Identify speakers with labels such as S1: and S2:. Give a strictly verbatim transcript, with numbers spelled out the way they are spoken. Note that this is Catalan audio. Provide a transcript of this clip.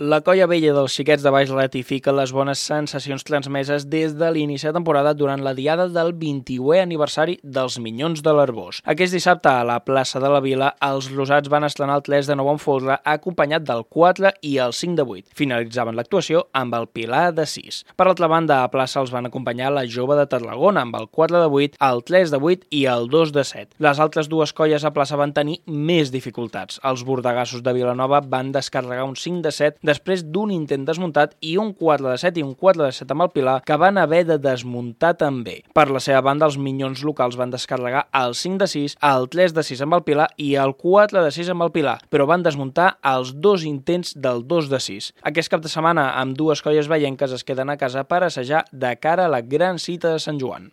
S1: La colla vella dels xiquets de Baix ratifica les bones sensacions transmeses des de l'inici de temporada durant la diada del vint-i-unè aniversari dels Minyons de l'Arboç. Aquest dissabte, a la plaça de la Vila, els rosats van estrenar el tres de nou en folre acompanyat del quatre i el cinc de vuit. Finalitzaven l'actuació amb el Pilar de sis. Per altra banda, a plaça els van acompanyar la Jove de Tarragona amb el quatre de vuit, el tres de vuit i el dos de set. Les altres dues colles a plaça van tenir més dificultats. Els bordegassos de Vilanova van descarregar un cinc de set després d'un intent desmuntat i un quatre de set i un quatre de set amb el Pilar que van haver de desmuntar també. Per la seva banda, els Minyons locals van descarregar el cinc de sis, el tres de sis amb el Pilar i el quatre de sis amb el Pilar, però van desmuntar els dos intents del dos de sis. Aquest cap de setmana, amb dues colles veienques es queden a casa per assajar de cara a la gran cita de Sant Joan.